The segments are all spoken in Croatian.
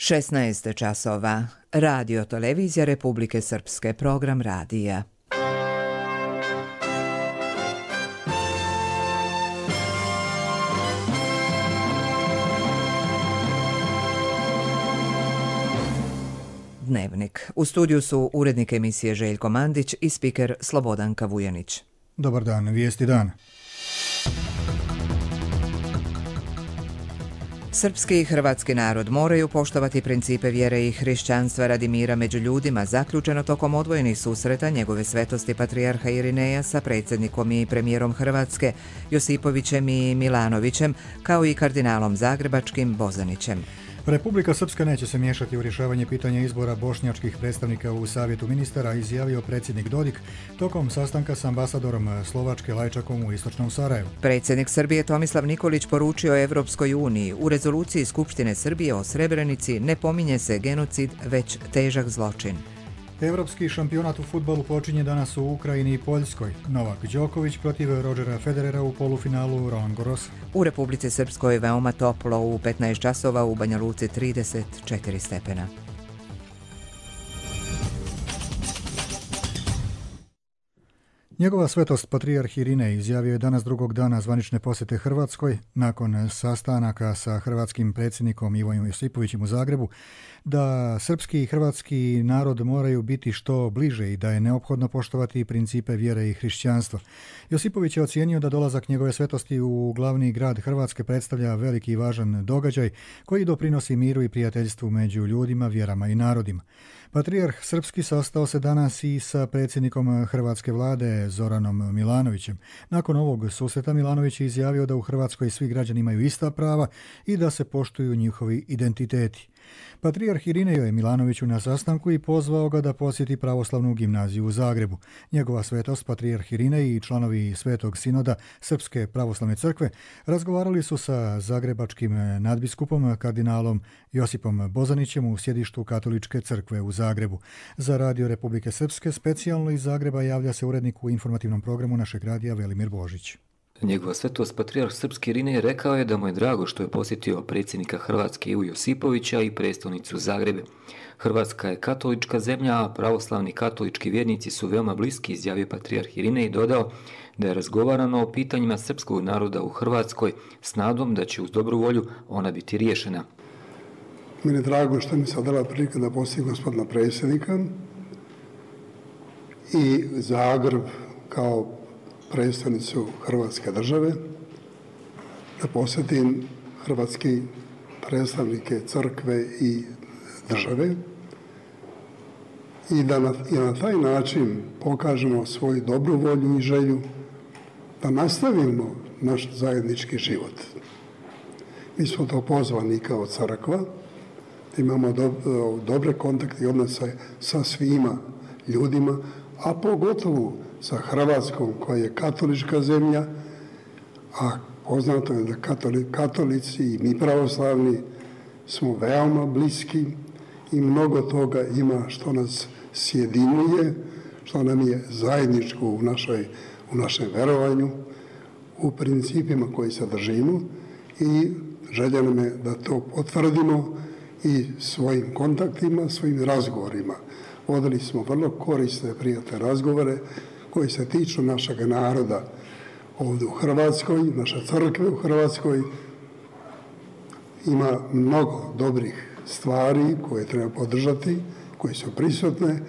16 časova. Radio Televizija Republike Srpske, program radija. Dnevnik. U studiju su urednik emisije Željko Mandić i spiker Slobodanka Vujanić. Dobar dan, vijesti dan. Srpski i hrvatski narod moraju poštovati principe vjere i hrišćanstva radi mira među ljudima, zaključeno tokom odvojenih susreta njegove svetosti patrijarha Irineja sa predsjednikom i premijerom Hrvatske Josipovićem i Milanovićem, kao i kardinalom zagrebačkim Bozanićem. Republika Srpska neće se miješati u rješavanje pitanja izbora bošnjačkih predstavnika u Savjetu ministara, izjavio predsjednik Dodik tokom sastanka s ambasadorom Slovačke Lajčakom u istočnom Sarajevu. Predsjednik Srbije Tomislav Nikolić poručio Evropskoj uniji: u rezoluciji Skupštine Srbije o Srebrenici ne pominje se genocid, već težak zločin. Evropski šampionat u fudbalu počinje danas u Ukrajini i Poljskoj. Novak Đoković protiv Rodgera Federera u polufinalu Roland Garrosa. U Republici Srpskoj je veoma toplo, u 15 časova u Banja Luci 34 stepena. Njegova svetost patrijarh Irinej izjavio je danas drugog dana zvanične posjete Hrvatskoj, nakon sastanaka sa hrvatskim predsjednikom Ivom Josipovićem u Zagrebu, da srpski i hrvatski narod moraju biti što bliže i da je neophodno poštovati principe vjere i hrišćanstva. Josipović je ocijenio da dolazak njegove svetosti u glavni grad Hrvatske predstavlja veliki i važan događaj koji doprinosi miru i prijateljstvu među ljudima, vjerama i narodima. Patrijarh srpski sastao se danas i sa predsjednikom hrvatske vlade Zoranom Milanovićem. Nakon ovog susreta Milanović je izjavio da u Hrvatskoj svi građani imaju ista prava i da se poštuju njihovi identiteti. Patrijarh Irinej je Milanoviću na sastanku i pozvao ga da posjeti pravoslavnu gimnaziju u Zagrebu. Njegova svetost, patrijarh Irinej i članovi Svetog sinoda Srpske pravoslavne crkve razgovarali su sa zagrebačkim nadbiskupom kardinalom Josipom Bozanićem u sjedištu Katoličke crkve u Zagrebu. Za Radio Republike Srpske specijalno iz Zagreba javlja se urednik u informativnom programu našeg radija Velimir Božić. Njegova svetost patrijarh srpski Irinej rekao je da mu je drago što je posjetio predsjednika Hrvatske Ivu Josipovića i prestolnicu Zagrebe. Hrvatska je katolička zemlja, a pravoslavni katolički vjernici su veoma bliski, izjavio patrijarh Irinej i dodao da je razgovarano o pitanjima srpskog naroda u Hrvatskoj s nadom da će uz dobru volju ona biti riješena. Meni je drago što mi se dala prilika da posjetim gospodina predsjednika i Zagreb kao predstavnicu Hrvatske države, da posjetim hrvatski predstavnike crkve i države i da na taj način pokažemo svoju dobru volju i želju da nastavimo naš zajednički život. Mi smo to pozvani kao crkva, da imamo dobre kontakte i odnose sa svima ljudima, a pogotovo sa Hrvatskom koja je katolička zemlja, a poznato je da katolici i mi pravoslavni smo veoma bliski i mnogo toga ima što nas sjedinjuje, što nam je zajedničko u našem verovanju, u principima koji se držimo i želja nam je da to potvrdimo i svojim kontaktima, svojim razgovorima. Vodili smo vrlo korisne, prijatne razgovore koji se tiču našeg naroda ovdje u Hrvatskoj, naša crkva u Hrvatskoj. Ima mnogo dobrih stvari koje treba podržati, koje su prisutne.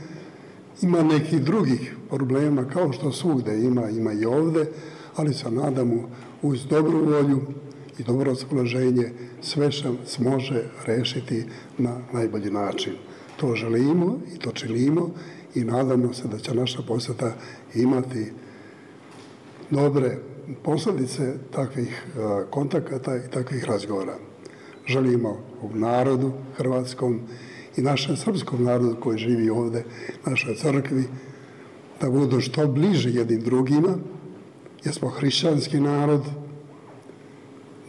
Ima nekih drugih problema, kao što svugde ima i ovdje, ali se nadamo uz dobru volju i dobro raspoloženje sve se može rešiti na najbolji način. To želimo i to činimo i nadamo se da će naša posjeta imati dobre posljedice takvih kontakata i takvih razgovora. Želimo u narodu hrvatskom i našem srpskom narodu koji živi ovdje, našoj crkvi, da budu što bliže jednim drugima, jer smo hrišćanski narod,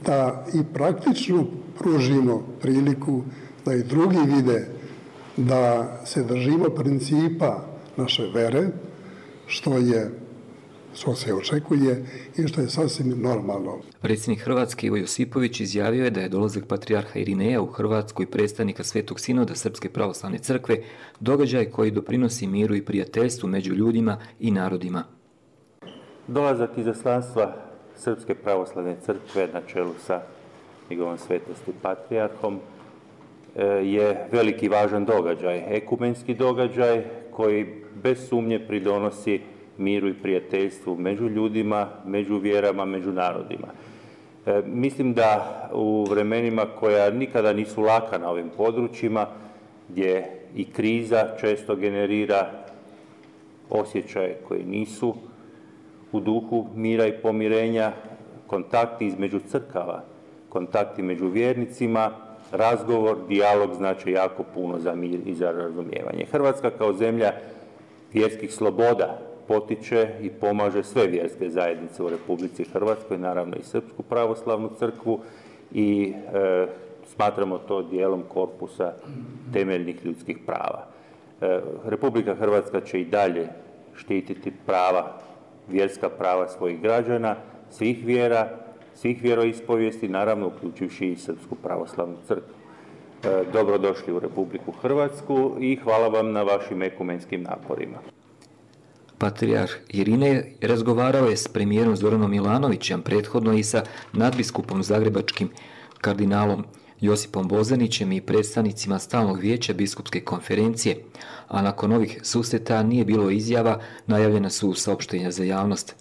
da i praktično pružimo priliku da i drugi vide da se držimo principa naše vere, što je što se očekuje i što je sasvim normalno. Predsjednik Hrvatske Ivo Josipović izjavio je da je dolazak patrijarha Irineja u Hrvatsku i predstavnika Svetog sinoda Srpske pravoslavne crkve događaj koji doprinosi miru i prijateljstvu među ljudima i narodima. Dolazak izaslanstva Srpske pravoslavne crkve na čelu sa njegovom svetosti patrijarhom je veliki važan događaj, ekumenski događaj koji bez sumnje pridonosi miru i prijateljstvu među ljudima, među vjerama, među narodima. Mislim da u vremenima koja nikada nisu laka na ovim područjima, gdje i kriza često generira osjećaje koji nisu u duhu mira i pomirenja, kontakti između crkava, kontakti među vjernicima, razgovor, dijalog znači jako puno za mir i za razumijevanje. Hrvatska kao zemlja vjerskih sloboda potiče i pomaže sve vjerske zajednice u Republici Hrvatskoj, naravno i Srpsku pravoslavnu crkvu i smatramo to dijelom korpusa temeljnih ljudskih prava. Republika Hrvatska će i dalje štititi prava, vjerska prava svojih građana, svih vjera, svih vjeroispovijesti, naravno uključivši i Srpsku pravoslavnu crkvu. Dobrodošli u Republiku Hrvatsku i hvala vam na vašim ekumenskim naporima. Patrijarh Irinej razgovarao je s premijerom Zoranom Milanovićem, prethodno i sa nadbiskupom zagrebačkim kardinalom Josipom Bozanićem i predstavnicima Stalnog vijeća biskupske konferencije, a nakon ovih susreta nije bilo izjava, najavljena su saopštenja za javnost.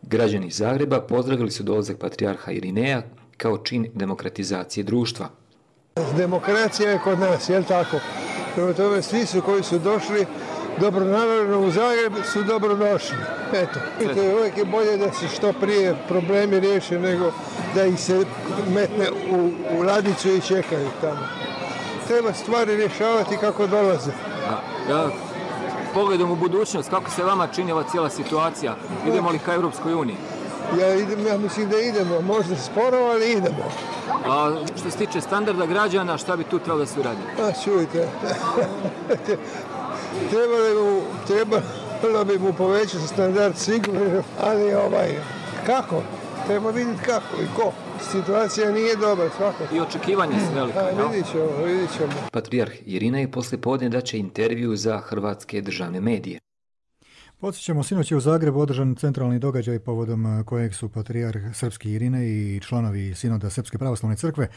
Građani Zagreba pozdravili su dolazak patrijarha Irineja kao čin demokratizacije društva. Demokracija je kod nas, jel tako? Prema tome, svi su koji su došli dobronamjerno u Zagreb su dobrodošli. Eto, uvijek je bolje da se što prije problemi riješe nego da ih se metne u ladicu i čekaju tamo. Treba stvari rješavati kako dolaze. Pogledom u budućnost, kako se vama čini ova cijela situacija? Idemo li ka Europskoj uniji? Ja mislim da idemo, možda sporo, ali idemo. A što se tiče standarda građana, šta bi tu trebalo da se uradi? Čujte, trebalo bi mu povećati standard sigurno, ali kako? Treba vidjeti kako i ko. Situacija nije dobra, svakako. I očekivanja su velike. Vidit ćemo. Patrijarh Irinej poslijepodne daće intervju za hrvatske državne medije. Podsjećamo, sinoć je u Zagrebu održan centralni događaj povodom kojeg su patrijarh srpski Irinej i članovi sinoda Srpske pravoslavne crkve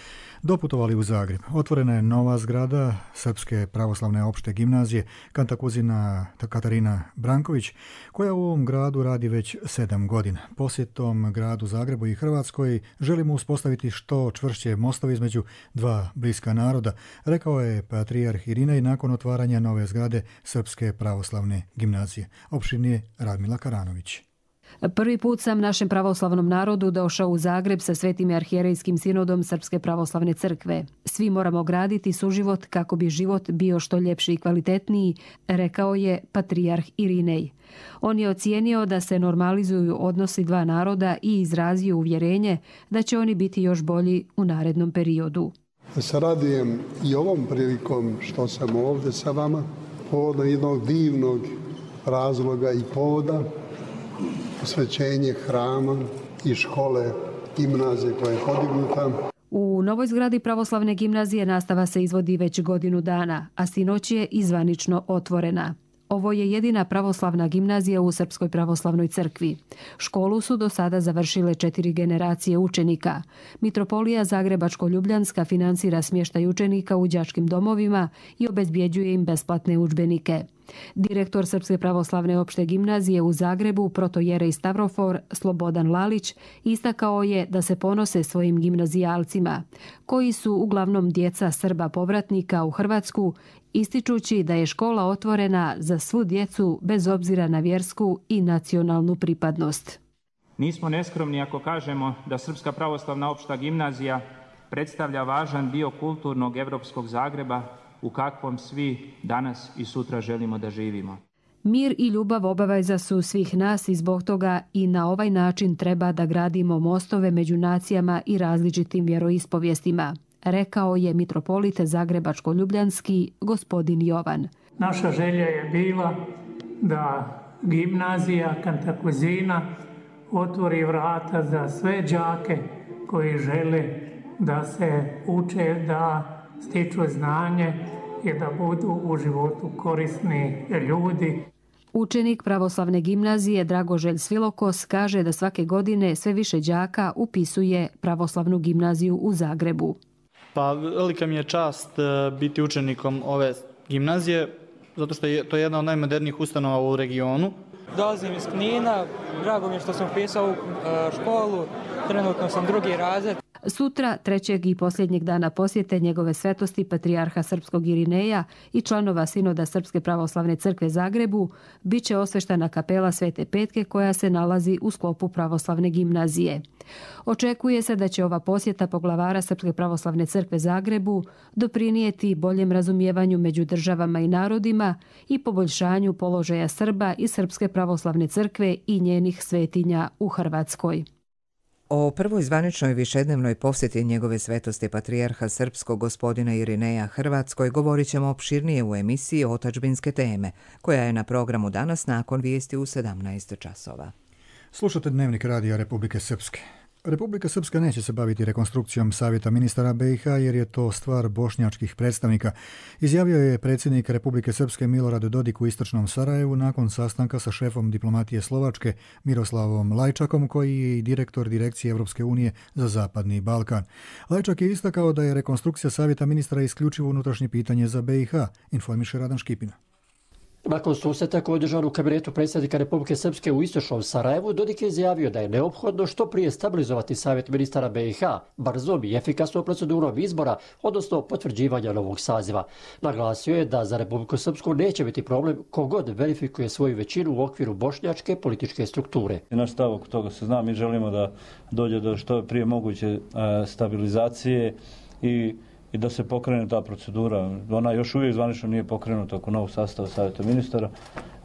doputovali u Zagreb. Otvorena je nova zgrada Srpske pravoslavne opšte gimnazije Kantakuzina Katarina Branković, koja u ovom gradu radi već 7 godina. Posjetom gradu Zagrebu i Hrvatskoj želimo uspostaviti što čvršće mostovi između dva bliska naroda, rekao je patrijarh Irinej nakon otvaranja nove zgrade Srpske pravoslavne gimnazije. Opširnije Radmila Karanović. Prvi put sam našem pravoslavnom narodu došao u Zagreb sa Svetim arhijerejskim sinodom Srpske pravoslavne crkve. Svi moramo graditi suživot kako bi život bio što ljepši i kvalitetniji, rekao je patrijarh Irinej. On je ocijenio da se normalizuju odnosi dva naroda i izrazio uvjerenje da će oni biti još bolji u narednom periodu. Se radujem i ovom prilikom što sam ovdje sa vama, povodom jednog divnog razloga i povoda, posvećenje hrama i škole gimnazije koja je podignuta. U novoj zgradi pravoslavne gimnazije nastava se izvodi već godinu dana, a sinoć je izvanično otvorena. Ovo je jedina pravoslavna gimnazija u Srpskoj pravoslavnoj crkvi. Školu su do sada završile 4 generacije učenika. Mitropolija Zagrebačko-Ljubljanska financira smještaj učenika u đačkim domovima i obezbjeđuje im besplatne udžbenike. Direktor Srpske pravoslavne opšte gimnazije u Zagrebu, protojerej Stavrofor Slobodan Lalić, istakao je da se ponose svojim gimnazijalcima, koji su uglavnom djeca Srba povratnika u Hrvatsku, ističući da je škola otvorena za svu djecu bez obzira na vjersku i nacionalnu pripadnost. Nismo neskromni ako kažemo da Srpska pravoslavna opšta gimnazija predstavlja važan dio kulturnog evropskog Zagreba u kakvom svi danas i sutra želimo da živimo. Mir i ljubav obaveza su svih nas i zbog toga i na ovaj način treba da gradimo mostove među nacijama i različitim vjeroispovjestima, rekao je mitropolit Zagrebačko-Ljubljanski gospodin Jovan. Naša želja je bila da gimnazija Kantakuzina otvori vrata za sve đake koji žele da se uče, da stiču znanje i da budu u životu korisni ljudi. Učenik pravoslavne gimnazije Dragoželj Svilokos kaže da svake godine sve više đaka upisuje pravoslavnu gimnaziju u Zagrebu. Pa velika mi je čast biti učenikom ove gimnazije, zato što je to jedna od najmodernijih ustanova u regionu. Dolazim iz Knina, drago mi je što sam upisao u školu, trenutno sam 2. razred. Sutra, 3. i posljednjeg dana posjete njegove svetosti patrijarha srpskog Irineja i članova Sinoda Srpske pravoslavne crkve Zagrebu, bit će osveštana kapela Svete Petke koja se nalazi u sklopu pravoslavne gimnazije. Očekuje se da će ova posjeta poglavara Srpske pravoslavne crkve Zagrebu doprinijeti boljem razumijevanju među državama i narodima i poboljšanju položaja Srba i Srpske pravoslavne crkve i njenih svetinja u Hrvatskoj. O prvoj zvaničnoj višednevnoj posjeti njegove svetosti patrijarha srpskog gospodina Irineja Hrvatskoj govorit ćemo opširnije u emisiji Otadžbinske teme, koja je na programu danas nakon vijesti u 17 časova. Slušate Dnevnik radija Republike Srpske. Republika Srpska neće se baviti rekonstrukcijom Savjeta ministara BiH jer je to stvar bošnjačkih predstavnika, izjavio je predsjednik Republike Srpske Milorad Dodik u istočnom Sarajevu nakon sastanka sa šefom diplomatije Slovačke Miroslavom Lajčakom, koji je i direktor Direkcije Evropske unije za Zapadni Balkan. Lajčak je istakao da je rekonstrukcija Savjeta ministara isključivo unutrašnje pitanje za BiH, informiše Radan Škipina. Nakon susreta koji je održan u kabinetu predsjednika Republike Srpske u istočnom Sarajevu, Dodik je izjavio da je neophodno što prije stabilizovati Savjet ministara BiH, brzom i efikasnom procedurom izbora, odnosno potvrđivanja novog saziva. Naglasio je da za Republiku Srpsku neće biti problem kogod verifikuje svoju većinu u okviru bošnjačke političke strukture. Naš stav oko toga se zna, mi želimo da dođe do što prije moguće stabilizacije i da se pokrene ta procedura. Ona još uvijek zvanično nije pokrenuta oko novog sastava Savjeta ministara.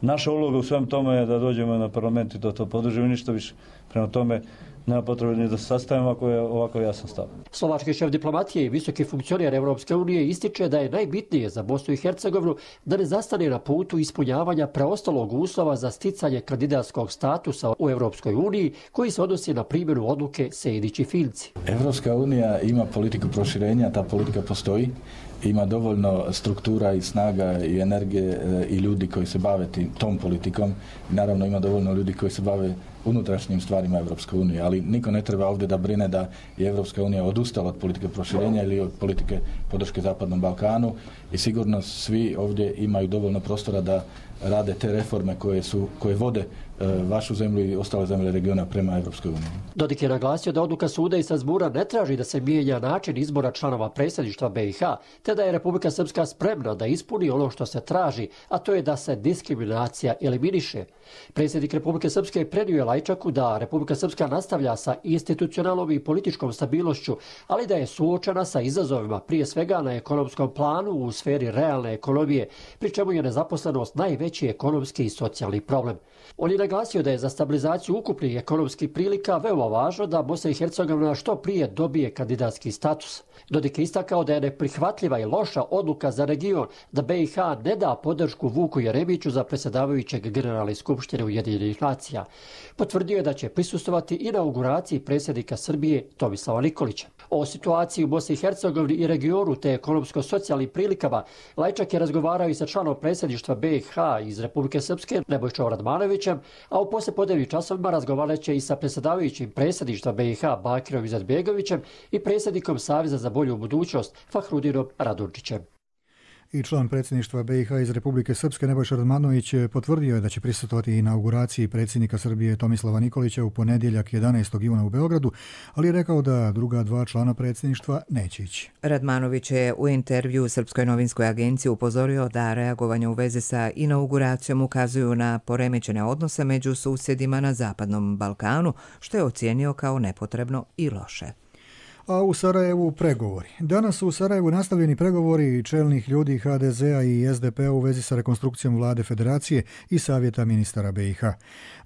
Naša uloga u svem tome je da dođemo na parlament i da to podržimo i ništa više. Prema tome, nema potrebe ni da se sastavimo ako je ovako jasan stav. Slovački šef diplomatije i visoki funkcioner Evropske unije ističe da je najbitnije za Bosnu i Hercegovinu da ne zastane na putu ispunjavanja preostalog uslova za sticanje kandidatskog statusa u Evropskoj uniji, koji se odnosi na primjenu odluke Sejdić i Finci. Evropska unija ima politiku proširenja, ta politika postoji. Ima dovoljno struktura i snaga i energije i ljudi koji se bave tom politikom. Naravno ima dovoljno ljudi koji se bave unutrašnjim stvarima Evropske unije, ali niko ne treba ovdje da brine da je Evropska unija odustala od politike proširenja ili od politike podrške Zapadnom Balkanu i sigurno svi ovdje imaju dovoljno prostora da rade te reforme koje vode vašu zemlju i ostale zemlje regiona prema Evropskoj uniji. Dodik je naglasio da odluka suda iz Strasbourga ne traži da se mijenja način izbora članova predsjedništva BiH, te da je Republika Srpska spremna da ispuni ono što se traži, a to je da se diskriminacija eliminiše. Predsjednik Republike Srpske prenio je Lajčaku da Republika Srpska nastavlja sa institucionalnom i političkom stabilnošću, ali da je suočena sa izazovima, prije svega na ekonomskom planu u sferi realne ekonomije, pri čemu je nezaposlenost najveći ekonomski i socijalni problem. On je naglasio da je za stabilizaciju ukupnih ekonomskih prilika veoma važno da Bosna i Hercegovina što prije dobije kandidatski status. Dodik je istakao da je neprihvatljiva i loša odluka za region da BiH ne da podršku Vuku Jeremiću za predsjedavajućeg Generalne skupštine Ujedinjenih nacija. Potvrdio je da će prisustvovati inauguraciji predsjednika Srbije Tomislava Nikolića. O situaciji u Bosni i Hercegovini i regionu te ekonomsko-socijalnim prilikama Lajčak je razgovarao i sa članom predsjedništva BiH iz Republike Srpske Nebojšom Radmanovićem, a u poslijepodnevnim časovima razgovarat će i sa predsjedavajućim predsjedništva BiH Bakirom Izetbegovićem i predsjednikom Saveza za bolju budućnost Fahrudinom Radončićem. I član predsjedništva BiH iz Republike Srpske Nebojša Radmanović potvrdio je da će prisustvovati inauguraciji predsjednika Srbije Tomislava Nikolića u ponedjeljak 11. juna u Beogradu, ali je rekao da druga dva člana predsjedništva neće ići. Radmanović je u intervju Srpskoj novinskoj agenciji upozorio da reagovanje u vezi sa inauguracijom ukazuju na poremećene odnose među susjedima na Zapadnom Balkanu, što je ocijenio kao nepotrebno i loše. A u Sarajevu pregovori. Danas su u Sarajevu nastavljeni pregovori čelnih ljudi HDZ-a i SDP-a u vezi sa rekonstrukcijom vlade Federacije i Savjeta ministara BiH.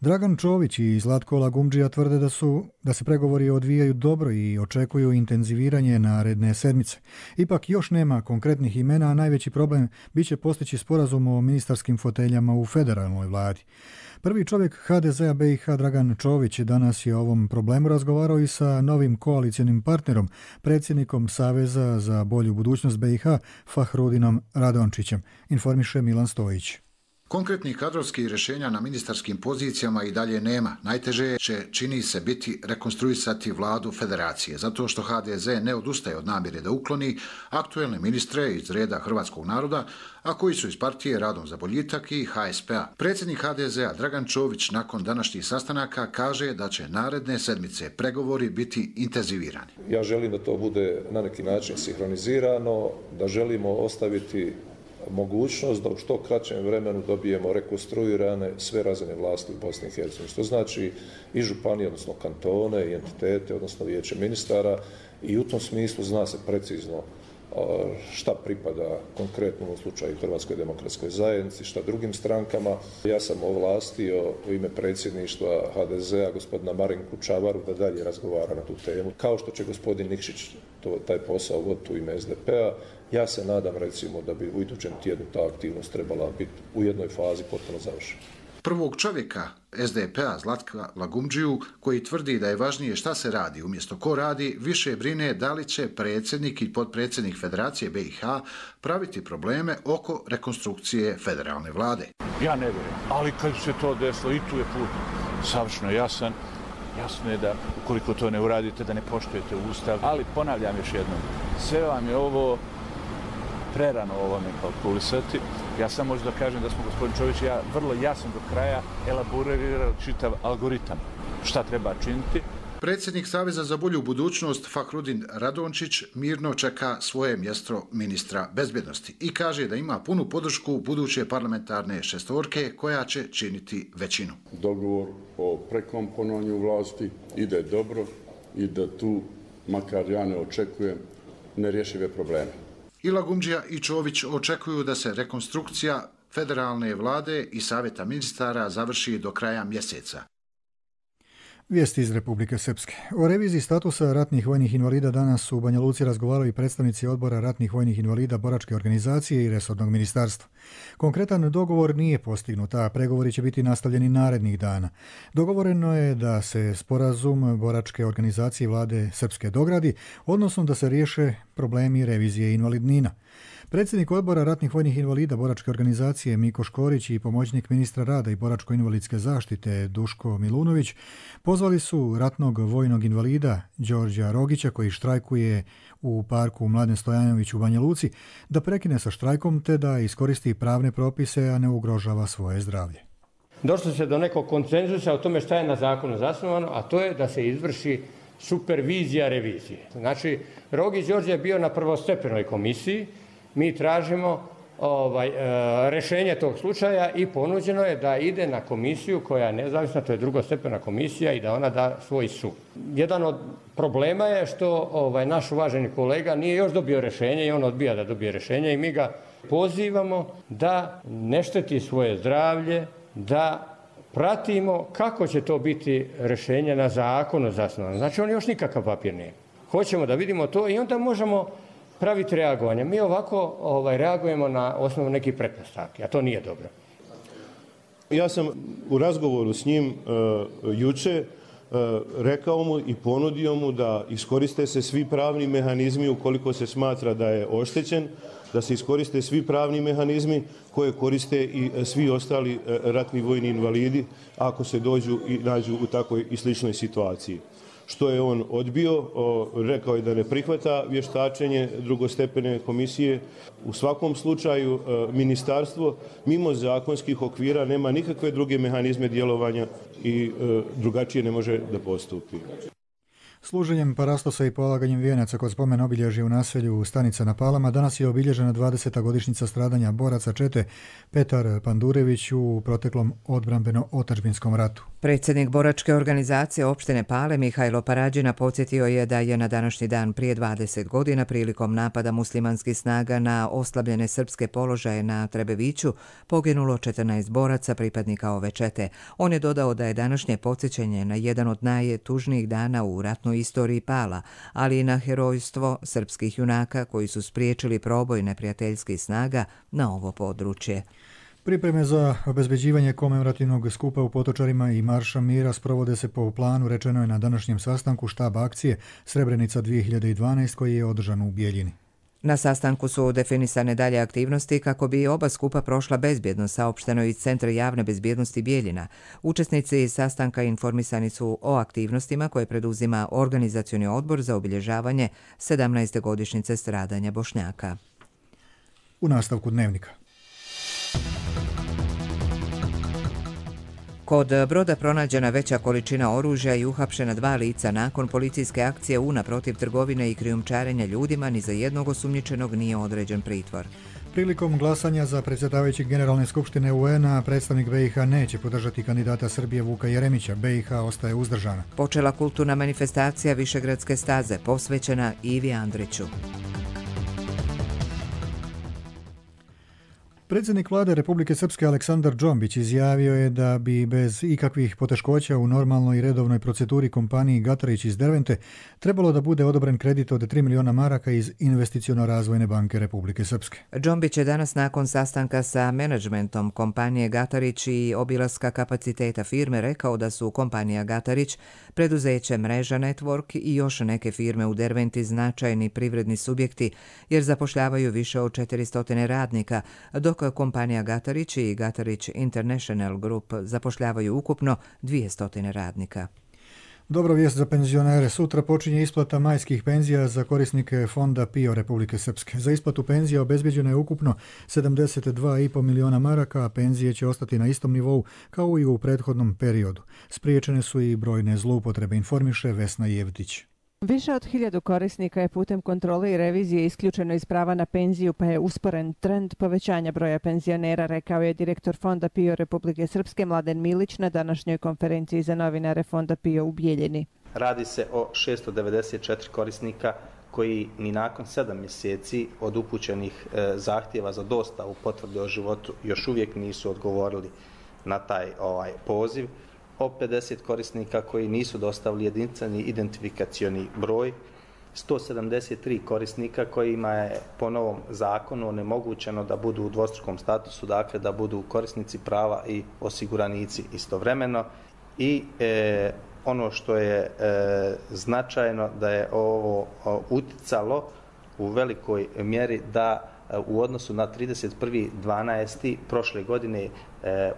Dragan Čović i Zlatko Lagumdžija tvrde da su da se pregovori odvijaju dobro i očekuju intenziviranje naredne sedmice. Ipak još nema konkretnih imena, a najveći problem bit će postići sporazum o ministarskim foteljama u federalnoj vladi. Prvi čovjek HDZ-a BiH Dragan Čović danas je o ovom problemu razgovarao i sa novim koalicijonim partnerom, predsjednikom Saveza za bolju budućnost BiH Fahrudinom Radončićem, informiše Milan Stojić. Konkretnih kadrovskih rješenja na ministarskim pozicijama i dalje nema. Najteže će, čini se, biti rekonstruisati vladu federacije, zato što HDZ ne odustaje od namjere da ukloni aktuelne ministre iz reda hrvatskog naroda, a koji su iz partije Radom za boljitak i HSP-a. Predsjednik HDZ-a Dragan Čović nakon današnjih sastanaka kaže da će naredne sedmice pregovori biti intenzivirani. Ja želim da to bude na neki način sinhronizirano, da želimo ostaviti mogućnost da u što kraćem vremenu dobijemo rekonstruirane sve razine vlasti u Bosni i Hercegovini, što znači i županije, odnosno kantone, i entitete, odnosno vijeće ministara, i u tom smislu zna se precizno šta pripada konkretno u slučaju Hrvatskoj demokratskoj zajednici, šta drugim strankama. Ja sam ovlastio u ime predsjedništva HDZ-a gospodina Marinku Čavaru da dalje razgovara na tu temu. Kao što će gospodin Nikšić taj posao voditi u ime SDP-a, ja se nadam recimo da bi u idućem tjednu ta aktivnost trebala biti u jednoj fazi potpuno završena. Prvog čovjeka SDP-a Zlatka Lagumdžiju, koji tvrdi da je važnije šta se radi umjesto ko radi, više brine da li će predsjednik i potpredsjednik Federacije BiH praviti probleme oko rekonstrukcije federalne vlade. Ja ne vjerujem, ali kad se to desilo, i tu je put savršeno jasan. Jasno je da ukoliko to ne uradite, da ne poštujete Ustav, ali ponavljam još jednom, sve vam je ovo prerano ovome kalkulisati. Ja sam možda da kažem da smo, gospodin Čović i ja, vrlo jasno do kraja elaborirali čitav algoritam šta treba činiti. Predsjednik Saveza za bolju budućnost Fahrudin Radončić mirno čeka svoje mjesto ministra bezbjednosti i kaže da ima punu podršku buduće parlamentarne šestorke koja će činiti većinu. Dogovor o prekomponovanju vlasti ide dobro i da tu, makar ja ne očekujem, nerješive probleme. I Lagumdžija i Čović očekuju da se rekonstrukcija federalne vlade i savjeta ministara završi do kraja mjeseca. Vijesti iz Republike Srpske. O reviziji statusa ratnih vojnih invalida danas su u Banja Luci razgovarali predstavnici odbora ratnih vojnih invalida boračke organizacije i resornog ministarstva. Konkretan dogovor nije postignut, a pregovori će biti nastavljeni narednih dana. Dogovoreno je da se sporazum boračke organizacije vlade Srpske dogradi, odnosno da se riješe problemi revizije invalidnina. Predsjednik odbora ratnih vojnih invalida boračke organizacije Miko Škorić i pomoćnik ministra rada i boračko-invalidske zaštite Duško Milunović pozvali su ratnog vojnog invalida Đorđa Rogića, koji štrajkuje u parku Mladen Stojanović u Banja Luci, da prekine sa štrajkom te da iskoristi pravne propise, a ne ugrožava svoje zdravlje. Došlo se do nekog konsenzusa o tome šta je na zakonu zasnovano, a to je da se izvrši supervizija revizije. Znači, Rogić Đorđe je bio na prvostepenoj komisiji. Mi tražimo rješenje tog slučaja i ponuđeno je da ide na komisiju koja je nezavisna, to je drugostepena komisija, i da ona da svoj sud. Jedan od problema je što naš uvaženi kolega nije još dobio rješenje i on odbija da dobije rješenje i mi ga pozivamo da ne šteti svoje zdravlje, da pratimo kako će to biti rješenje na zakonu zasnovano. Znači on još nikakav papir nije. Hoćemo da vidimo to i onda možemo praviti reagovanje. Mi ovako reagujemo na osnovu nekih pretpostavki, a to nije dobro. Ja sam u razgovoru s njim juče rekao mu i ponudio mu da iskoriste se svi pravni mehanizmi ukoliko se smatra da je oštećen, da se iskoriste svi pravni mehanizmi koje koriste i svi ostali ratni vojni invalidi ako se dođu i nađu u takvoj i sličnoj situaciji. Što je on odbio, rekao je da ne prihvata vještačenje drugostepene komisije. U svakom slučaju ministarstvo mimo zakonskih okvira nema nikakve druge mehanizme djelovanja i drugačije ne može da postupi. Služenjem parastosa i polaganjem vijenaca kod spomen obilježja u naselju Stanica na Palama danas je obilježena 20. godišnjica stradanja boraca čete Petar Pandurević u proteklom odbrambeno-otadžbinskom ratu. Predsjednik boračke organizacije opštine Pale Mihajlo Parađina podsjetio je da je na današnji dan prije 20 godina prilikom napada muslimanskih snaga na oslabljene srpske položaje na Trebeviću poginulo 14 boraca pripadnika ove čete. On je dodao da je današnje podsjećanje na jedan od najtužnijih dana u ratnoj istoriji Pala, ali i na herojstvo srpskih junaka koji su spriječili proboj neprijateljskih snaga na ovo područje. Pripreme za obezbeđivanje komemorativnog skupa u Potočarima i Marša mira sprovode se po planu, rečeno je na današnjem sastanku štaba akcije Srebrenica 2012 koji je održan u Bijeljini. Na sastanku su definisane dalje aktivnosti kako bi oba skupa prošla bezbjedno, saopšteno iz Centra javne bezbjednosti Bijeljina. Učesnici sastanka informisani su o aktivnostima koje preduzima Organizacioni odbor za obilježavanje 17. godišnjice stradanja Bošnjaka. U nastavku dnevnika. Kod broda pronađena veća količina oružja i uhapšena 2 lica nakon policijske akcije UNA protiv trgovine i krijumčarenja ljudima, ni za jednog osumnjičenog nije određen pritvor. Prilikom glasanja za predsjedavajućeg Generalne skupštine UN-a predstavnik BiH neće podržati kandidata Srbije Vuka Jeremića. BiH ostaje uzdržana. Počela kulturna manifestacija Višegradske staze posvećena Ivi Andriću. Predsjednik vlade Republike Srpske Aleksandar Džombić izjavio je da bi bez ikakvih poteškoća u normalnoj i redovnoj proceduri kompaniji Gatarić iz Dervente trebalo da bude odobren kredit od 3 miliona maraka iz Investiciono-razvojne banke Republike Srpske. Džombić je danas nakon sastanka sa menadžmentom kompanije Gatarić i obilaska kapaciteta firme rekao da su kompanija Gatarić, preduzeće Mreža Network i još neke firme u Derventi značajni privredni subjekti jer zapošljavaju više od 400 radnika, dok kompanija Gatarić i Gatarić International Group zapošljavaju ukupno 200 radnika. Dobra vijest za penzionere. Sutra počinje isplata majskih penzija za korisnike Fonda PIO Republike Srpske. Za isplatu penzija obezbeđeno je ukupno 72,5 miliona maraka, a penzije će ostati na istom nivou kao i u prethodnom periodu. Spriječene su i brojne zloupotrebe, informiše Vesna Jevtić. Više od 1000 korisnika je putem kontrole i revizije isključeno iz prava na penziju, pa je usporen trend povećanja broja penzionera, rekao je direktor Fonda PIO Republike Srpske Mladen Milić na današnjoj konferenciji za novinare Fonda PIO u Bijeljini. Radi se o 694 korisnika koji ni nakon 7 mjeseci od upućenih zahtjeva za dostavu potvrde o životu još uvijek nisu odgovorili na taj poziv. O 50 korisnika koji nisu dostavili jedinstveni identifikacioni broj, 173 korisnika kojima je po novom zakonu onemogućeno da budu u dvostrukom statusu, dakle da budu korisnici prava i osiguranici istovremeno. I ono što je značajno da je ovo uticalo u velikoj mjeri da u odnosu na 31.12. prošle godine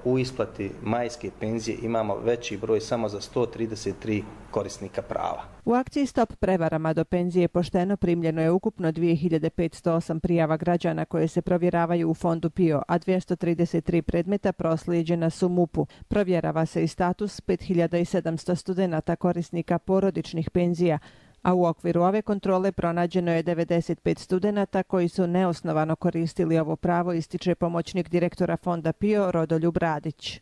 u isplati majske penzije imamo veći broj samo za 133 korisnika prava. U akciji Stop prevarama do penzije pošteno primljeno je ukupno 2508 prijava građana koje se provjeravaju u Fondu PIO, a 233 predmeta proslijeđena su MUP-u. Provjerava se i status 5700 studenata korisnika porodičnih penzija, a u okviru ove kontrole pronađeno je 95 studenata koji su neosnovano koristili ovo pravo, ističe pomoćnik direktora Fonda PIO Rodoljub Radić.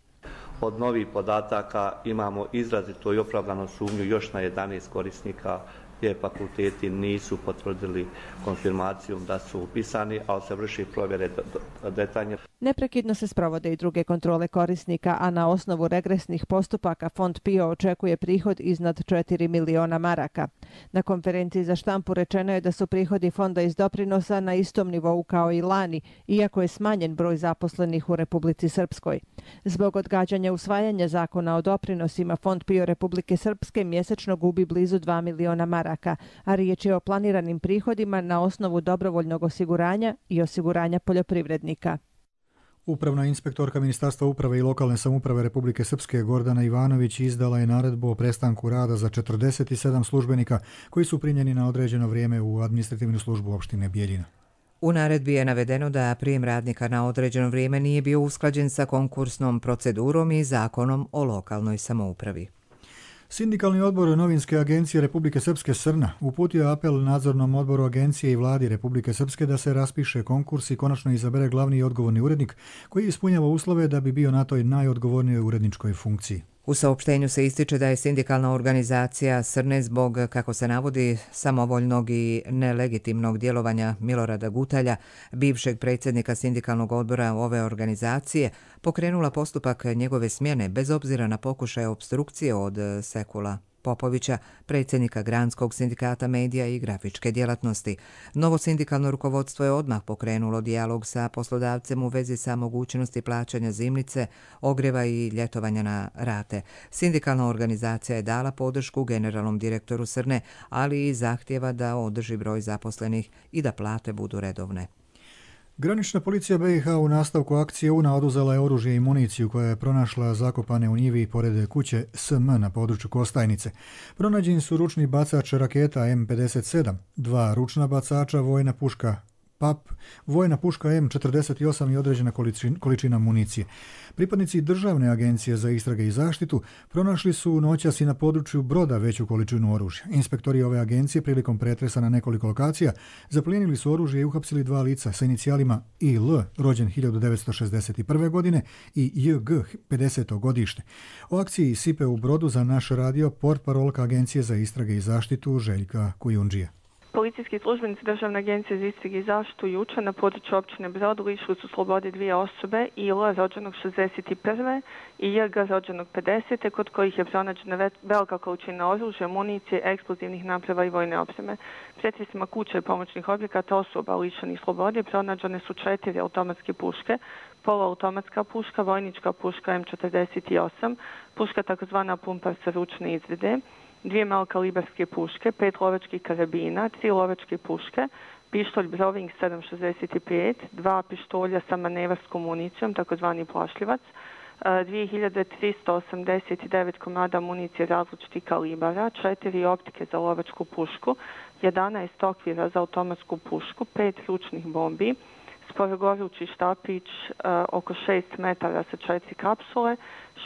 Od novih podataka imamo izrazito i opravdanu sumnju još na 11 korisnika gdje fakulteti nisu potvrdili konfirmacijom da su upisani, ali se vrši provjere detaljne. Neprekidno se sprovode i druge kontrole korisnika, a na osnovu regresnih postupaka Fond PIO očekuje prihod iznad 4 miliona maraka. Na konferenciji za štampu rečeno je da su prihodi fonda iz doprinosa na istom nivou kao i lani, iako je smanjen broj zaposlenih u Republici Srpskoj. Zbog odgađanja usvajanja zakona o doprinosima, Fond PIO Republike Srpske mjesečno gubi blizu 2 miliona maraka, a riječ je o planiranim prihodima na osnovu dobrovoljnog osiguranja i osiguranja poljoprivrednika. Upravna inspektorka Ministarstva uprave i lokalne samouprave Republike Srpske Gordana Ivanović izdala je naredbu o prestanku rada za 47 službenika koji su primljeni na određeno vrijeme u administrativnu službu opštine Bijeljina. U naredbi je navedeno da prijem radnika na određeno vrijeme nije bio usklađen sa konkursnom procedurom i zakonom o lokalnoj samoupravi. Sindikalni odbor Novinske agencije Republike Srpske Srna uputio apel nadzornom odboru agencije i vladi Republike Srpske da se raspiše konkurs i konačno izabere glavni i odgovorni urednik koji ispunjava uslove da bi bio na toj najodgovornijoj uredničkoj funkciji. U saopštenju se ističe da je sindikalna organizacija Srne zbog, kako se navodi, samovoljnog i nelegitimnog djelovanja Milorada Gutalja, bivšeg predsjednika sindikalnog odbora ove organizacije, pokrenula postupak njegove smjene bez obzira na pokušaje opstrukcije od Sekula Popovića, predsjednika Granskog sindikata medija i grafičke djelatnosti. Novo sindikalno rukovodstvo je odmah pokrenulo dijalog sa poslodavcem u vezi sa mogućnosti plaćanja zimnice, ogrijeva i ljetovanja na rate. Sindikalna organizacija je dala podršku generalnom direktoru Srne, ali i zahtjeva da održi broj zaposlenih i da plate budu redovne. Granična policija BiH u nastavku akcije UNA oduzela je oružje i municiju koja je pronašla zakopane u njivi pored kuće SM na području Kostajnice. Pronađeni su ručni bacač raketa M57, 2 ručna bacača, vojna puška PAP, vojna puška M48 i određena količina municije. Pripadnici Državne agencije za istrage i zaštitu pronašli su noćas i na području Broda veću količinu oružja. Inspektori ove agencije prilikom pretresa na nekoliko lokacija zaplijenili su oružje i uhapsili 2 lica sa inicijalima IL, rođen 1961. godine, i JG, 50. godište. O akciji Sipe u Brodu za naš radio portparolka Agencije za istrage i zaštitu Željka Kujundžija. Policijski službenici Državne agencije za istrage i zaštitu jučer na području općine Brod lišili su slobode 2 osobe, IL rođenog 61. i JG rođenog 50. kod kojih je pronađena velika količina oružja, municije, eksplozivnih naprava i vojne opreme. Pretresima kuće i pomoćnih objekata osoba lišenih slobode pronađene su 4 automatske puške, poluautomatska puška, vojnička puška M48, puška takozvana pumpar sa ručne izvide, 2 malokalibarske puške, 5 lovačkih karabina, 3 lovačke puške, pištolj Browning 765, 2 pištolja sa manevarskom municijom, takozvani plašljivac, 2389 komada municije različitih kalibara, 4 optike za lovačku pušku, 11 okvira za automatsku pušku, 5 ručnih bombi, sporogorući štapić oko 6 metara sa 4 kapsule,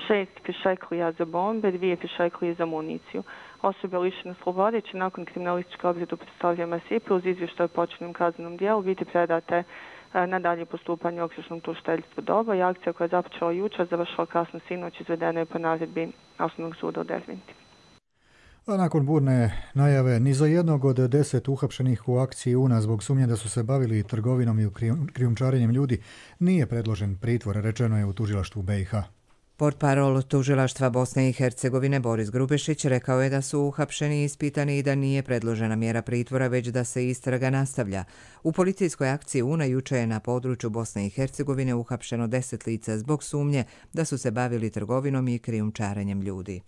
6 pišeklija za bombe, 2 pišeklije za municiju. Osobe lišene slobode će nakon kriminalističke obrade predstavljanja Sipe uz izvještaj o počinjenom kaznenom dijelu biti predate na dalje postupanje u okružnom tužiteljstvu Doba i akcija koja je započela jučer završila kasno sinoć, izvedena je po naredbi Osnovnog suda u Derventi. A nakon burne najave, ni za jednog od 10 uhapšenih u akciji UNA zbog sumnje da su se bavili trgovinom i krijumčarenjem ljudi nije predložen pritvor, rečeno je u tužilaštvu BiH. Portparol tužilaštva Bosne i Hercegovine Boris Grubešić rekao je da su uhapšeni i ispitani i da nije predložena mjera pritvora, već da se istraga nastavlja. U policijskoj akciji UNA juče je na području Bosne i Hercegovine uhapšeno 10 lica zbog sumnje da su se bavili trgovinom i krijumčarenjem ljudi.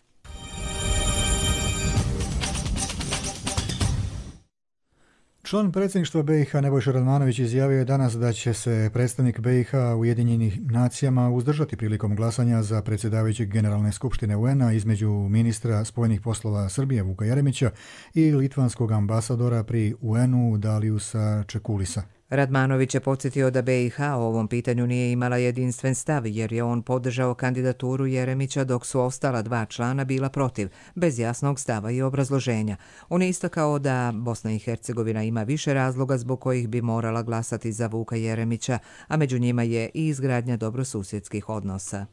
Član predsjedništva BiH Nebojša Radmanović izjavio je danas da će se predstavnik BiH u Ujedinjenim nacijama uzdržati prilikom glasanja za predsjedavajućeg Generalne skupštine UN-a između ministra spojenih poslova Srbije Vuka Jeremića i litvanskog ambasadora pri UN-u Daliusa Čekulisa. Radmanović je podsjetio da BiH o ovom pitanju nije imala jedinstven stav jer je on podržao kandidaturu Jeremića dok su ostala 2 člana bila protiv, bez jasnog stava i obrazloženja. On je istakao da Bosna i Hercegovina ima više razloga zbog kojih bi morala glasati za Vuka Jeremića, a među njima je i izgradnja dobrosusjedskih odnosa.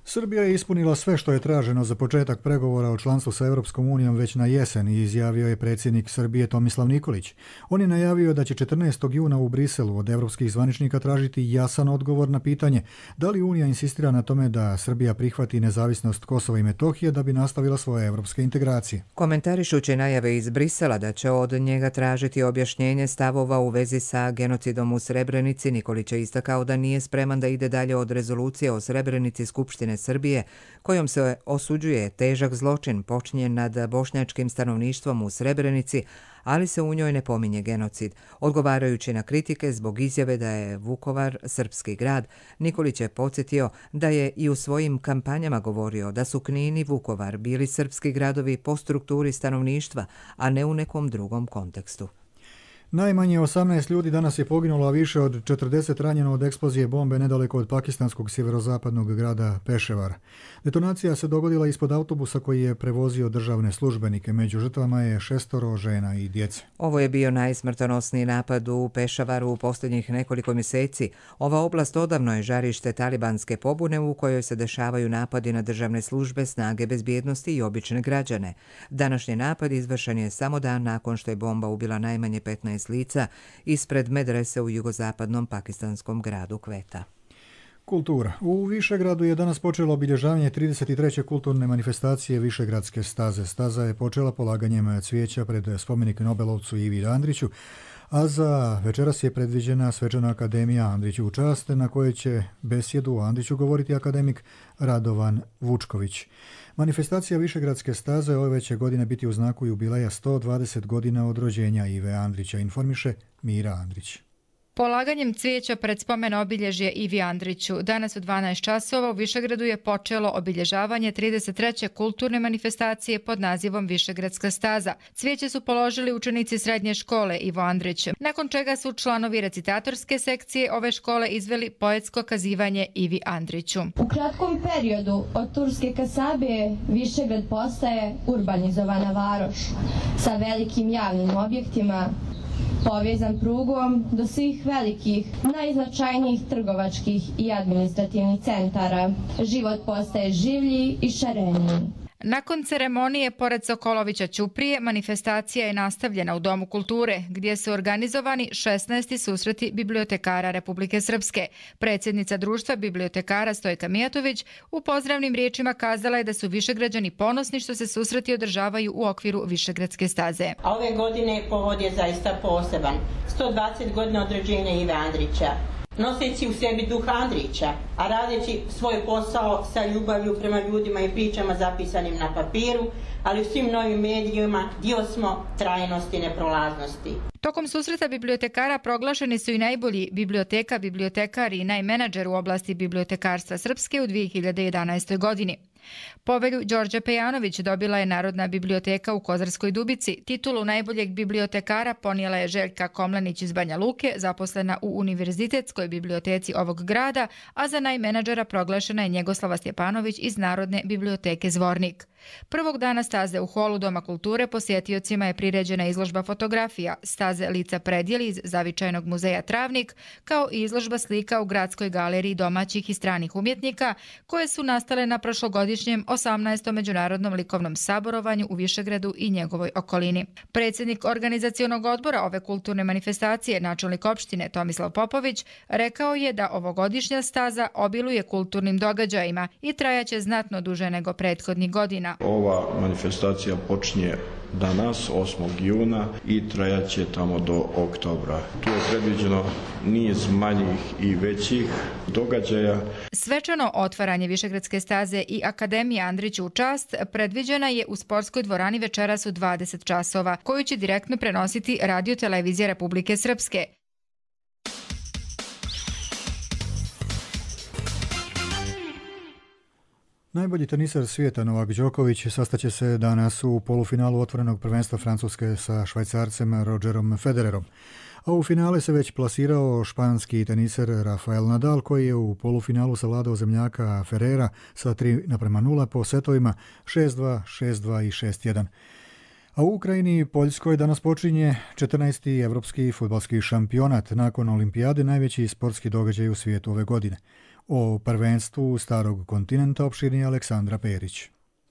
Srbija je ispunila sve što je traženo za početak pregovora o članstvu sa Europskom unijom već na jesen, izjavio je predsjednik Srbije Tomislav Nikolić. On je najavio da će 14. juna u Briselu od evropskih zvaničnika tražiti jasan odgovor na pitanje da li Unija insistira na tome da Srbija prihvati nezavisnost Kosova i Metohije da bi nastavila svoje evropske integracije. Komentarišući najave iz Brisela da će od njega tražiti objašnjenje stavova u vezi sa genocidom u Srebrenici, Nikolić je istakao da nije spreman da ide dalje od rezolucije o Srebrenici Skupštine Srbije, kojom se osuđuje težak zločin počinjen nad bošnjačkim stanovništvom u Srebrenici, ali se u njoj ne pominje genocid. Odgovarajući na kritike zbog izjave da je Vukovar srpski grad, Nikolić je podsjetio da je i u svojim kampanjama govorio da su Knin i Vukovar bili srpski gradovi po strukturi stanovništva, a ne u nekom drugom kontekstu. Najmanje 18 ljudi danas je poginulo, a više od 40 ranjeno od eksplozije bombe nedaleko od pakistanskog sjeverozapadnog grada Peševara. Detonacija se dogodila ispod autobusa koji je prevozio državne službenike. Među žrtvama je 6 žena i djece. Ovo je bio najsmrtonosniji napad u Pešavaru u posljednjih nekoliko mjeseci. Ova oblast odavno je žarište talibanske pobune u kojoj se dešavaju napadi na državne službe, snage bezbjednosti i obične građane. Današnji napad izvršen je samo dan nakon što je bomba ubila najmanje 15 lica ispred medrese u jugozapadnom pakistanskom gradu Kveta. Kultura. U Višegradu je danas počelo obilježavanje 33. kulturne manifestacije Višegradske staze. Staza je počela polaganjem cvijeća pred spomenik Nobelovcu Ivi Andriću, a za večeras je predviđena svečana akademija Andriću u čast, na kojoj će besjedu o Andriću govoriti akademik Radovan Vučković. Manifestacija Višegradske staze ove će godine biti u znaku jubileja 120 godina od rođenja Ive Andrića, informiše Mira Andrić. Polaganjem cvijeća pred spomen obilježje Ivi Andriću danas u 12 časova u Višegradu je počelo obilježavanje 33. kulturne manifestacije pod nazivom Višegradska staza. Cvijeće su položili učenici srednje škole Ivo Andrić, nakon čega su članovi recitatorske sekcije ove škole izveli poetsko kazivanje Ivi Andriću. U kratkom periodu od Turske Kasabe Višegrad postaje urbanizovana varoš sa velikim javnim objektima, povezan prugom do svih velikih, najznačajnijih trgovačkih i administrativnih centara. Život postaje življi i šareniji. Nakon ceremonije pored Sokolovića Ćuprije, manifestacija je nastavljena u Domu kulture, gdje su organizovani 16. susreti bibliotekara Republike Srpske. Predsjednica društva bibliotekara Stojka Mijatović u pozdravnim riječima kazala je da su Višegrađani ponosni što se susreti održavaju u okviru Višegradske staze. A ove godine povod je zaista poseban. 120 godina od rođenja Ive Andrića. Noseći u sebi duh Andrića, a radeći svoj posao sa ljubavlju prema ljudima i pričama zapisanim na papiru, ali u svim novim medijima dio smo trajnosti i neprolaznosti. Tokom susreta bibliotekara proglašeni su i najbolji biblioteka, bibliotekari i najmenadžer u oblasti bibliotekarstva Srpske u 2011. godini. Povelju Đorđe Pejanović dobila je Narodna biblioteka u Kozarskoj Dubici. Titulu najboljeg bibliotekara ponijela je Željka Komlenić iz Banja Luke, zaposlena u Univerzitetskoj biblioteci ovog grada, a za najmenadžera proglašena je Njegoslava Stjepanović iz Narodne biblioteke Zvornik. Prvog dana staze u holu Doma kulture posjetiocima je priređena izložba fotografija staze Lica predjeli iz Zavičajnog muzeja Travnik, kao i izložba slika u Gradskoj galeriji domaćih i stranih umjetnika, koje su nastale na prošlogodišnjem 18. Međunarodnom likovnom saborovanju u Višegradu i njegovoj okolini. Predsjednik organizacionog odbora ove kulturne manifestacije, načelnik opštine Tomislav Popović, rekao je da ovogodišnja staza obiluje kulturnim događajima i trajaće znatno duže nego prethodnih godina. Ova manifestacija počinje danas, 8. juna, i trajaće tamo do oktobra. Tu je predviđeno niz manjih i većih događaja. Svečano otvaranje Višegradske staze i Akademija Andriću u čast predviđena je u sportskoj dvorani večeras u 20 časova, koju će direktno prenositi Radio televizija Republike Srpske. Najbolji teniser svijeta Novak Đoković sastaće se danas u polufinalu otvorenog prvenstva Francuske sa Švajcarcem Rogerom Federerom. A u finale se već plasirao španski teniser Rafael Nadal, koji je u polufinalu savladao zemljaka Ferrera sa 3:0 po setovima 6-2, 6-2 i 6-1. A u Ukrajini i Poljskoj danas počinje 14. evropski fudbalski šampionat. Nakon olimpijade najveći sportski događaj u svijetu ove godine. O prvenstvu starog kontinenta opširnije Aleksandra Perić.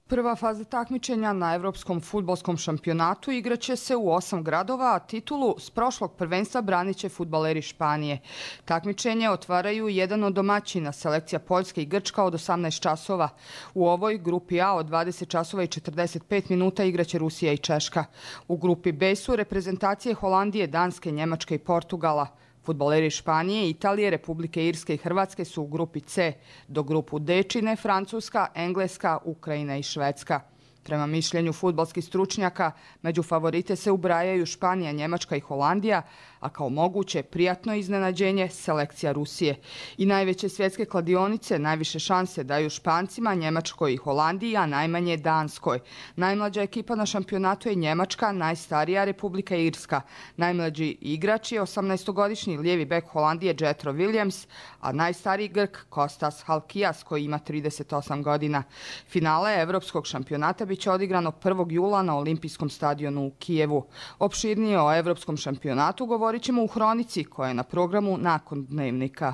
Prva faza takmičenja na Evropskom fudbalskom šampionatu igraće se u 8 gradova, a titulu s prošlog prvenstva branit će fudbaleri Španije. Takmičenje otvaraju jedan od domaćina, selekcija Poljske i Grčka od 18 časova. U ovoj grupi A od 20 časova i 45 minuta igraće Rusija i Češka. U grupi B su reprezentacije Holandije, Danske, Njemačke i Portugala. Fudbaleri Španije, Italije, Republike Irske i Hrvatske su u grupi C, do grupu D čine Francuska, Engleska, Ukrajina i Švedska. Prema mišljenju fudbalskih stručnjaka, među favorite se ubrajaju Španija, Njemačka i Holandija, a kao moguće prijatno iznenađenje selekcija Rusije. I najveće svjetske kladionice najviše šanse daju Špancima, Njemačkoj i Holandiji, a najmanje Danskoj. Najmlađa ekipa na šampionatu je Njemačka, najstarija Republika Irska. Najmlađi igrač je 18-godišnji lijevi bek Holandije Jetro Williams, a najstariji Grk Kostas Halkijas koji ima 38 godina. Finale Evropskog šampionata biće odigrano 1. jula na Olimpijskom stadionu u Kijevu. Opširnije o Evropskom šampionatu govorit ćemo u Hronici koja je na programu nakon Dnevnika.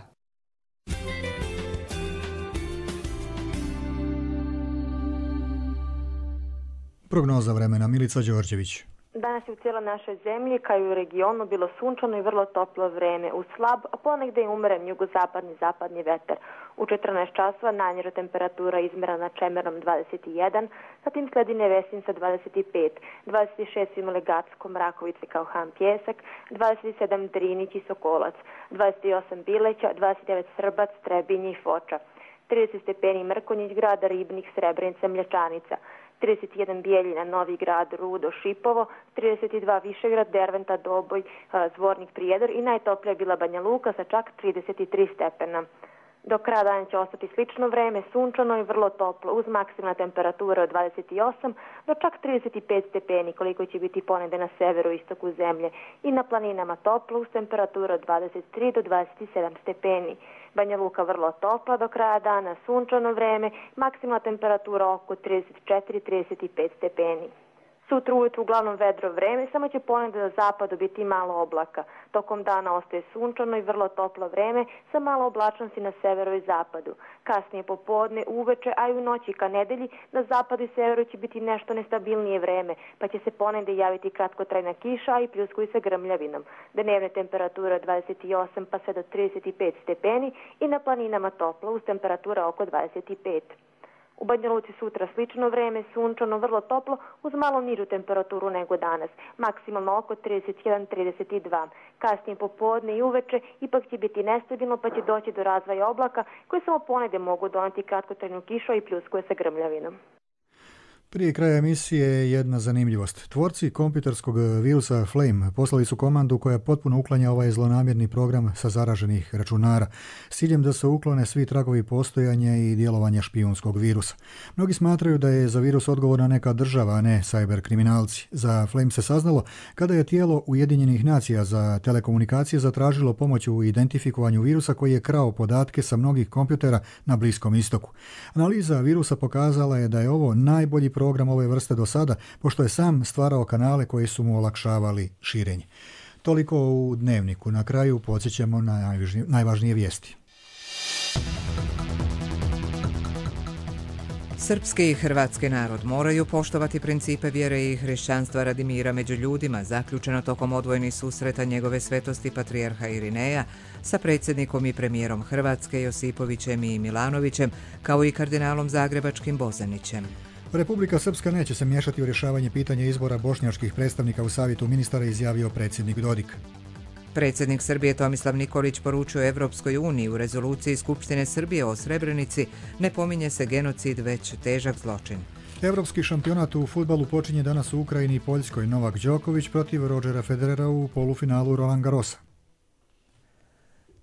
Prognoza vremena, Milica Đorđević. Danas je u cijeloj našoj zemlji, kao i u regionu, bilo sunčano i vrlo toplo vreme, uz slab, a ponegde i umeren jugozapadni zapadni vetar. U 14 časova najniža temperatura izmjerena na Čemerom 21, zatim sledi Nevesin sa 25, 26 su imali Gacko, Mrakovice kao Han Pjesak, 27 Drinić i Sokolac, 28 Bileća, 29 Srbac, Trebinje i Foča, 30 stepeni Mrkonjić, grada Ribnik, Srebrenica, Mlječanica, 31 Bijeljina, Novi Grad, Rudo, Šipovo, 32 Višegrad, Derventa, Doboj, Zvornik, Prijedor i najtoplija je bila Banja Luka sa čak 33 stepena. Do kraja dana će ostati slično vreme, sunčano i vrlo toplo, uz maksimalna temperatura od 28 do čak 35 stepeni, koliko će biti ponegde na severu i istoku zemlje, i na planinama toplo, uz temperatura od 23 do 27 stepeni. Banja Luka vrlo topla do kraja dana, sunčano vreme, maksimalna temperatura oko 34-35 stepeni. Sutra ujutru uglavnom vedro vreme, samo će ponegde na zapadu biti malo oblaka. Tokom dana ostaje sunčano i vrlo toplo vreme sa malo oblačnosti na severu i zapadu. Kasnije popodne, uveče, a i u noći ka nedelji na zapadu i severu će biti nešto nestabilnije vreme, pa će se ponegde javiti kratkotrajna kiša, a i pljuskuju sa grmljavinom. Dnevne temperature od 28 pa sve do 35 stepeni i na planinama toplo uz temperatura oko 25. U Banja Luci sutra slično vreme, sunčano, vrlo toplo, uz malo nižu temperaturu nego danas, maksimalno oko 31-32. Kasnije popodne i uveče ipak će biti nestabilno, pa će doći do razvoja oblaka koje samo ponegde mogu doneti kratkotrajnu kišu i pljuskuje sa grmljavinom. Prije kraja emisije jedna zanimljivost. Tvorci kompjuterskog virusa Flame poslali su komandu koja potpuno uklanja ovaj zlonamjerni program sa zaraženih računara, s ciljem da se uklone svi tragovi postojanja i djelovanja špijunskog virusa. Mnogi smatraju da je za virus odgovorna neka država, a ne cyber kriminalci. Za Flame se saznalo kada je tijelo Ujedinjenih nacija za telekomunikacije zatražilo pomoć u identifikovanju virusa koji je krao podatke sa mnogih kompjutera na Bliskom istoku. Analiza virusa pokazala je da je ovo najbolji program ove vrste do sada, pošto je sam stvarao kanale koji su mu olakšavali širenje. Toliko u Dnevniku. Na kraju podsjećamo na najvažnije vijesti. Srpski i hrvatski narod moraju poštovati principe vjere i hrišćanstva radi mira među ljudima, zaključeno tokom odvojenih susreta njegove svetosti patrijarha Irineja sa predsjednikom i premijerom Hrvatske Josipovićem i Milanovićem, kao i kardinalom zagrebačkim Bozanićem. Republika Srpska neće se miješati u rješavanje pitanja izbora bošnjačkih predstavnika u savjetu ministara, izjavio predsjednik Dodik. Predsjednik Srbije Tomislav Nikolić poručuje Evropskoj uniji u rezoluciji Skupštine Srbije o Srebrenici ne pominje se genocid, već težak zločin. Evropski šampionat u fudbalu počinje danas u Ukrajini i Poljskoj. Novak Đoković protiv Rodgera Federera u polufinalu Roland Garrosa.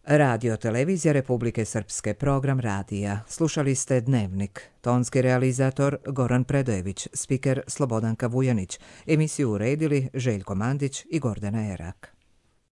Radio Televizija Republike Srpske, program radija. Slušali ste Dnevnik. Tonski realizator Goran Predojević, spiker Slobodanka Vujanić. Emisiju uredili Željko Mandić i Gordana Erak.